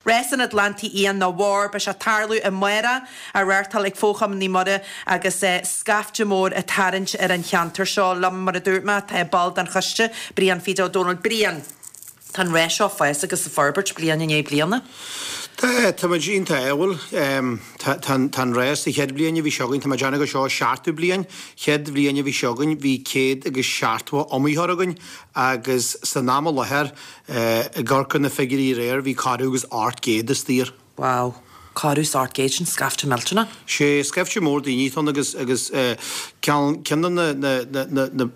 Rás an Atlantaigh Fhiáin nó WAR, beidh sé ag tarlú amárach, á reáchtáil ag Fogh-Chumann Naomh Muire agus scaifte mór ag tarraingt ar an cheantar seo. Liom, mar a dúirt mé, tá ball den choiste, Brian Phete Ó Dónaill. Brian, tá an rás seo ag fás agus ag forbairt bliain i ndiaidh bliana. Tá, tá muid iontach ádhúil. Tá, tá, tá an rás, an chéad bhliain a bhí sé againn, tá mé ag déanamh go seo seachtú bliain, chéad bhliain a bhí sé againn bhí 170 iomaitheoir againn agus san am i láthair, ag amharc ar na figiúirí aréir, bhí corradh agus 800 istigh air. Wow. Corradh is 800, sin scaifte millteanach. Sé, scaifte mór daoine atá ann agus, agus ceann, ceann de na, na, na, na, na,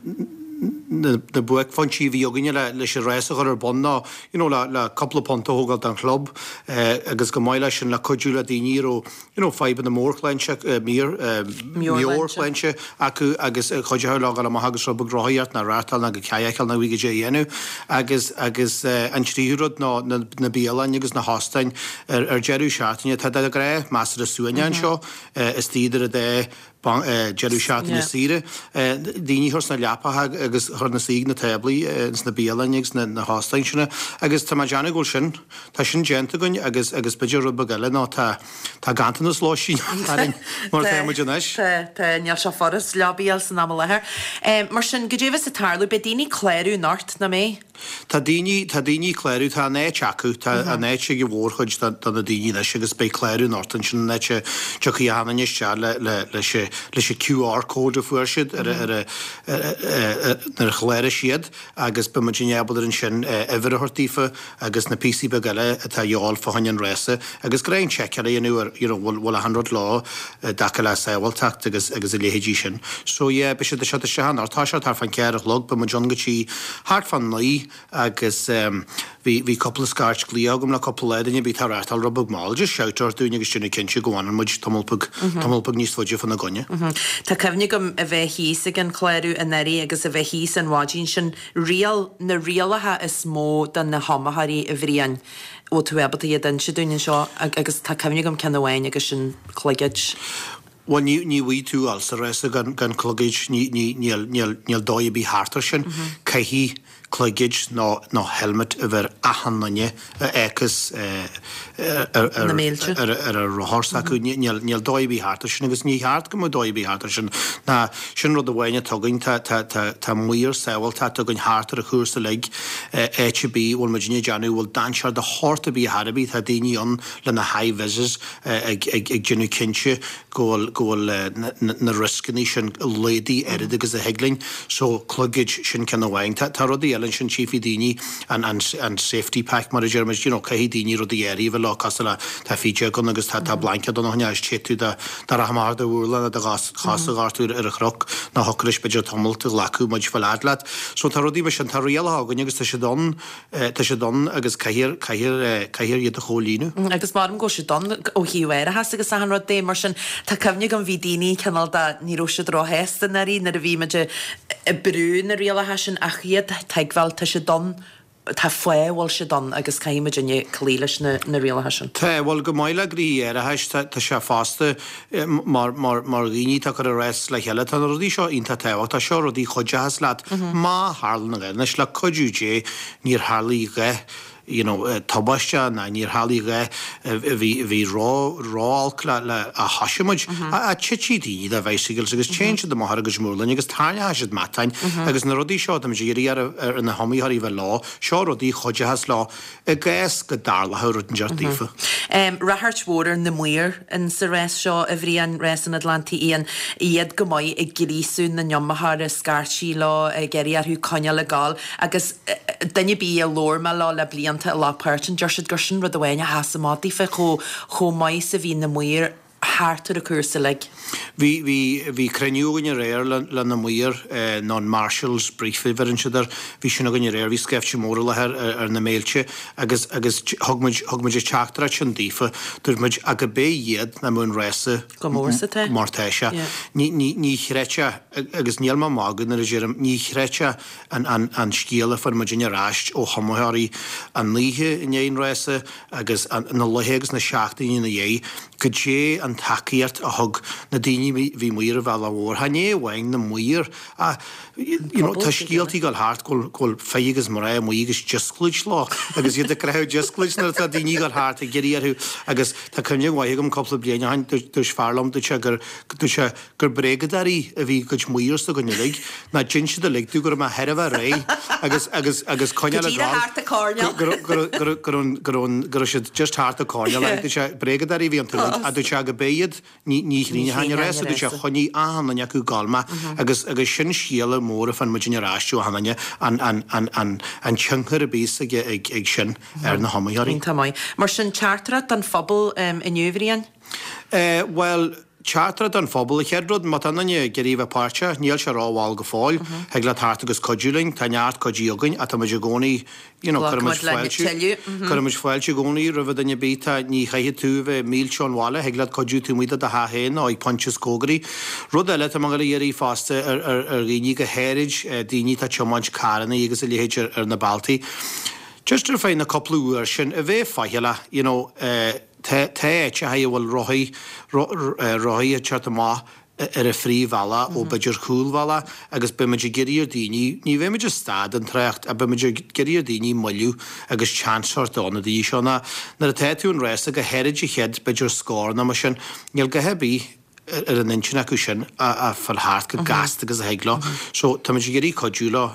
na, na buaicphointí a bhí againne le, leis an rás a chur ar bun ná, you know, le, le cúpla punt a thógáil don chlub agus chomh maith leis sin le cuidiú le daoine a raibh, you know, fadhbanna mórshláinte, meabhairshláinte acu agus chuideochadh leo dul amach agus rud beag rothaíocht ná raftáil ná go kayakáil nó goidé a dhéanamh. Agus, agus an tríú rud ná na, na bialanna agus na hóstáin ar, ar deireadh seachtaine. Tá de ghnáth measartha suaimhneach anseo istigh idir an dá deireadh seachtaine saoire. Daoine a chur sna leapacha agus a chur ina suí ag na táblaí ins na bialanna agus na hóstáin sin agus tá mé ag déanamh go bhfuil sin, tá sin déanta againn agus agus b'fhéidir rud beag eile ná tá tá ganntanas lóistín orainn mar atá muid anois. Tá, tá, níl sé furast leaba a fháil san am i láthair. Mar sin, goidé a bheas ag tarlú, beidh daoine ag clárú anocht, nach mbeidh? Tá daoine, tá daoine ag clárú, tá an áit acu, tá an áit ag an mhórchuid de, de na daoine anois agus beidh clárú anocht ansin an áit a dtiocfaidh achan duine isteach le, le, leis an, leis an QR code a fuair siad ar a, ar a, nuair a chláraigh siad agus beidh muidinne ábalta ansin uimhir a thabhairt daofa agus na píosaí beaga eile atá a dhíobháil fá choinne an rása agus gnáth seiceáil a dhéanamh ar, you know, bhfuil, bhfuil achan rud leo i dtaca le sábháilteacht agus, agus a leithéidí sin. So yeah, beidh siad ag teacht isteach anocht, tá sé thart fán cheathair a chlog, beidh muid ann go dtí thart fán naoi agus bhí, bhí cúpla scairt glaoch agam le cúpla lá, duine ar bith atá ag reáchtáil rud beag mall, just shout ort dúinn agus déanamh cinnte go bhfanann muid tamall beag, tamall beag níos faide fána gcoinne. Tá cuimhne agam a bheith thíos ag an chlárú anuraidh agus a bheith thíos an mhaidin sin, riail, na rialacha is mó do na hiomaitheoirí, a Bhriain, bhfuil tú ábalta iad a inse dúinn anseo agus tá cuimhne agam ceann amháin agus sin cloigead. Bhuel, ní, ní bhfaighidh tú dul sa rása gan, gan cloigead, ní, ní, níl, níl, níl dóigh ar bith thart ar sin. Caithfidh cloigead nó, nó helmet a bheith ar achan duine a fhéachas ar, ar, Na mílte. ar, ar a rothar s'acu. Ní, níl, níl dóigh ar bith thart ar sin agus ní cheart go mbeadh dóigh ar bith thart ar sin. Ná, sin rud amháin atá againn, tá, tá, tá, tá maor sábháilteachta againn thart ar an chúrsa uilig, áit ar bith a bhfuil muidinne ag déanamh, a bhfuil dainséar de shórt ar bith ar chor ar bith, tá daoine ann le na high-vises, ag déanamh cinnte go bhfuil go bhfuil na rioscannaí sin laghdaithe oiread agus a thig linn. So, cloigead, sin ceann amháin. Tá tá rudaí eile ansin, tchífidh daoine an an an safety pack mar a deir muid, you know, caithfidh daoine rudaí áirithe a bheith leo cosúil le tá fídeog ann agus tá tá blaincéad ann a choinneáil téad tú dá dá rachadh amach ar do mhurlán nó do chos chos a ghortú ar ar chnoc nó thiocfadh leis b'fhéidir tamalt a ghlacadh muid fáil fhad leat. So tá rudaí mar sin, tá rialacha againn agus tá siad ann Tá siad ann agus caithfear, caithfear, caithfear iad a chomhlíonadh. Agus maram go bhfuil siad ann ó thaobh árachas agus achan rud de, mar sin tá cuimhne agam bhí daoine cineál de, ní raibh siad róshásta anuraidh nuair a bhí muid ag brú na rialacha sin ach iad a thuigbheáil, tá siad ann, tá fáth a bhfuil siad ann agus caithfidh muidinne cloí leis na rialacha sin. Tá, bhuel chomh maith le gnoithí árachais, tá, tá sé fosta mar, mar, mar dhaoine atá ag cur an rás le chéile, tá na rudaí seo iontach tábhachtach, seo rudaí a chuideochas leat má tharlann a dhath. Anois le cuidiú Dé níor tharlaigh a dhath you know tubaiste ná níor tharlaigh a dhath a bhí, a bhí ró, ró-olc le, le, a thoisigh muid. Ach titfidh daoine de bicycles agus téann siad amach ar a gcuid murláin agus tarraingeoidh siad matáin agus na rudaí seo táimid ag iarraidh ar, ar na hiomaitheoirí a bheith leo, seo rudaí a chuideochas leo I gcás go dtarlódh rud inteacht daofa. Ráchairt mhór ar na maoir in sa rás seo, a Bhriain, rás an Atlantaigh Fhiáin, iad go maith ag gríosú na n-iomaitheoirí, scairtigh leo, ag iarraidh orthu coinneáil ag gabháil agus duine ar bith a labhair mé leo le blianta a ghlac páirt ann, deir siad gur sin rud amháin a sheas amach daofa, chomh maith is a bhí na maoir thart ar an chúrsa uilig. Bhí, bhí, bhí cruinniú againn aréir le, le na maoir, nó an Marshals Brief a bheireann siad air, bhí sin againn aréir, bhí scaifte mór i láthair ar, ar na béilte agus, agus thug muid, thug muid an teachtaireacht sin daofa, dúirt muid, ach go b'é iad nach mbeadh an rása Go mór sa tá. mar tá sé. Yeah. Ní, ní, ní chreidfeá, agus níl mé ag magadh nuair a deirim, ní chreidfeá an, an, an scéal a fuair muidinne ar ais ó hiomaitheoirí an oíche i ndiaidh an rása, agus na laetha agus na seachtainí ina dhiaidh, goidé an. tacaíocht a thug na daoine a bhí amuigh ar an bhealach mhór. Chan é amháin na maoir ach you know tá scéaltaí ag dul thart go bhfuil go bhfuil fir agus mná amuigh agus diosclaid leo agus iad ag croitheadh diosclaid nuair atá daoine ag dul thart ag iarraidh orthu agus tá cuimhne mhaith agam cúpla bliain ó shin dúirt fear liom dúirt sé gur dúirt sé gur bréagadóirí a bhí i gcuid maor s'againn uilig, ná dhein siad uilig domh go raibh mé thar a bheith réidh agus, agus, agus Go coinneáil ag díreach gabháil thart an coirnéal. go raibh, go raibh, go raibh, go raibh, go raibh an, go raibh siad just thart an coirnéal ach dúirt sé bréagadóirí a bhí iontu uilig ach dúirt sé go b'é iad ní, ní Ní chríneochainn an chríneochainn rása an dúirt sé rása. choinnigh achan duine acu ag gabháil mé agus, agus sin scéala mór a fuair muidinne ar ais ó achan duine an, an, an, an, an tionchar a bhíos ag, ag, ag sin ar na hiomaitheoirí. Iontach maith. Mar sin teachtaireacht don phobal inniu, a Bhriain? Eh, bhuel, Teachtaireacht don phobal, An chéad rud, má tá aon duine ag iarraidh a bheith páirteach, níl sé ró-mhall go fóill. Thig leat theacht agus cuidiú linn. Tá neart cuidí againn ach tá muid i gcónaí, you know, cuireann muid Glacann muid le fáilte, tuilleadh. cuireann muid fáilte i gcónaí roimh duine ar bith. Tá, ní chaithfidh tú a bheith mílte ón bhaile, thig leat cuidiú taobh amuigh de do theach féin nó ag pointe is cóngaraí. Rud eile atá mé ag dul a iarraidh fosta ar, ar, ar dhaoine, go háirid daoine atá ag tiomáint carrannaí agus a leithéid ar, ar na bealtaí, just ar feadh na cúpla uair sin, a bheith faichilleach, you know, eh, Tá áiteacha a bhfuil rothaí, rothaí ag teacht amach ar an phríomhbhealach ó b'fhéidir chúlbhealach agus beidh muid ag iarraidh ar daoine, ní bheidh muid ag stad an trácht ach beidh muid ag iarraidh ar daoine moilliú agus seans a thabhairt do na daoine seo ná nuair atá tú an rása go háirid an chéad b'fhéidir scór nó mar sin, níl a dhath ar bith ar an intinn acu sin a fáil thart chomh gasta agus a thig leo. So tá muid ag iarraidh cuidiú leo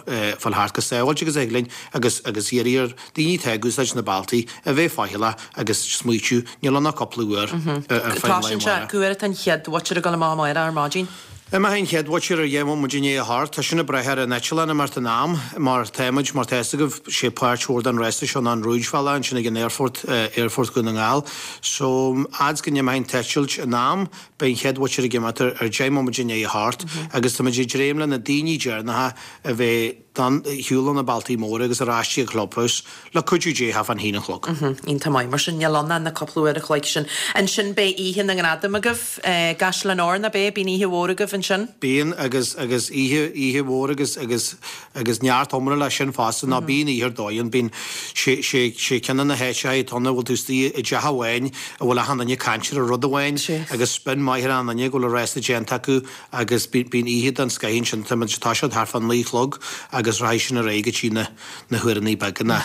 fáil thart chomh sábháilte agus a thig linn agus agus iarraidh ar daoine atá ag úsáid na bealtaí a bheith faichilleach agus smaoitiú, níl ann ach cúpla uair ar feadh an lae Toisíonn sé, amárach. cá huair atá an chéad mhuintir ag dul amach amárach ar maidin? Imeoidh an chéad mhuintir ar dheich mbomaite i ndiaidh a hocht. Tá sin ag brath ar an eitleán imeacht in am, mar tá muid, mar tá fhios agaibh, sé páirt mhór den rása seo ná an rúidbhealach ansin ag an aerfort, Aerfort Dhún na nGall. So, fhad's go n-imeoidh an t-eitilt in am, beidh an chéad mhuintir ag imeacht ar ar dheich mbomaite i ndiaidh a hocht agus tá muid ag dréim le na daoine deireanacha a bheith ar shiúl ó na bealtaí móra agus ar ais dtí an clubhouse, le cuidiú Dé thart fán haon a chlog. Iontach maith. Mar sin, níl ann ach na cúpla uair a chloig sin. Ansin beidh oíche na ngradam agaibh i gCaisleán Óir, ná beidh? Bíonn oíche mhór agaibh ansin? Bíonn, agus, agus oíche, oíche mhór agus, agus, agus neart iomrá leis sin fosta. Ná bíonn oíche ar dóigh ann. Bíonn, sé, sé, sé ceann de na háiteacha atá ann a bhfuil tú istigh i dteach amháin a bhfuil achan duine ag caint ar rud amháin agus spion maith ar achan duine go bhfuil an rása déanta acu Agus bíonn oíche den scoith ansin, tá muid ag toiseacht thart fá naoi a chlog agus rachaidh sin ar aghaidh go dtí na na huaireanna beaga na.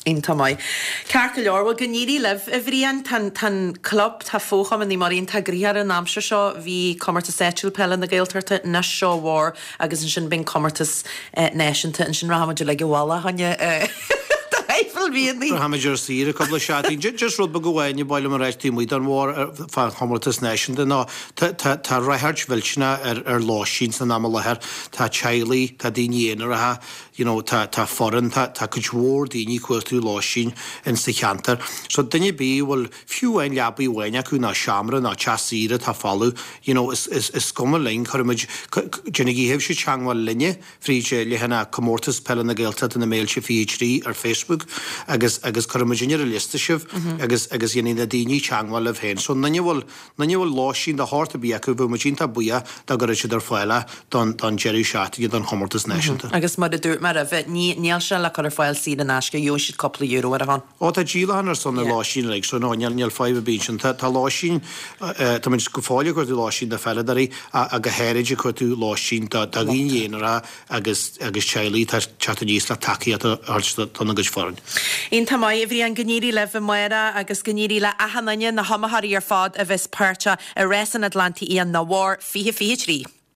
Iontach maith. Ceart go leor, bhuel go n-éirí libh, a Bhriain. Tá an, tá an club, tá Fo-Chumann Naomh Muire iontach gnoitheach ar an aimsir seo. Bhí comórtas áitiúil peile na Gaeltachta anois seo an Fhómhair agus ansin beidh an comórtas náisiúnta. Ansin rachaidh muid uilig abhaile, a choinne do thaifead mhianaigh. Rachaimid ar saoire cúpla seachtain. Just rud beag amháin a ba mhaith liom a ráit taobh amuigh den bharr fán chomórtas náisiúnta ná tá ráchairt mhillteanach ar lóistín san am i láthair. Tá teaghlaigh, tá daoine aonaracha, you know tá tá foireann, tá tá cuid mhór daoine ag cuartú lóistín in sa cheantar. So duine ar bith a bhfuil fiú amháin leabaidh amháin acu nó seomra nó teach saoire atá folamh, you know is is is cuma linn, cuirfimid, déanaigí sibhse teangmháil linne fríd leathanach Comórtas Peile na Gaeltachta na Méilte 23 ar Facebook agus agus cuirfimid ar an liosta sibh agus agus dhéanfaidh na daoine teangmháil libh féin. So duine a bhfuil duine a bhfuil lóistín de shórt ar bith acu bheadh muid iontach buíoch dá gcuirfeadh siad ar fáil é don don deireadh seachtaine don chomórtas náisiúnta. Agus mar a dúirt mé roimhe, ní níl sé le cur ar fáil saor in aisce, gheobhaidh siad cúpla euro ar a shon. Ó tá díolachán ar son na lóistín uilig so no níl níl fadhb ar bith ansin. Tá tá lóistín tá muid go fóill ag cuartú lóistín do pheileadóirí ach go háirid ag cuartú lóistín do do dhaoine aonaracha agus agus teaghlaigh atá ag teacht aníos le tacaíocht a thabhairt dona gcuid foireann. Iontach maith, a Bhriain, go n-éirí libh amárach agus go n-éirí le achan duine, na hiomaitheoirí ar fad a bheas páirteach i Rás an Atlantaigh Fhiáin na bhFear 2023.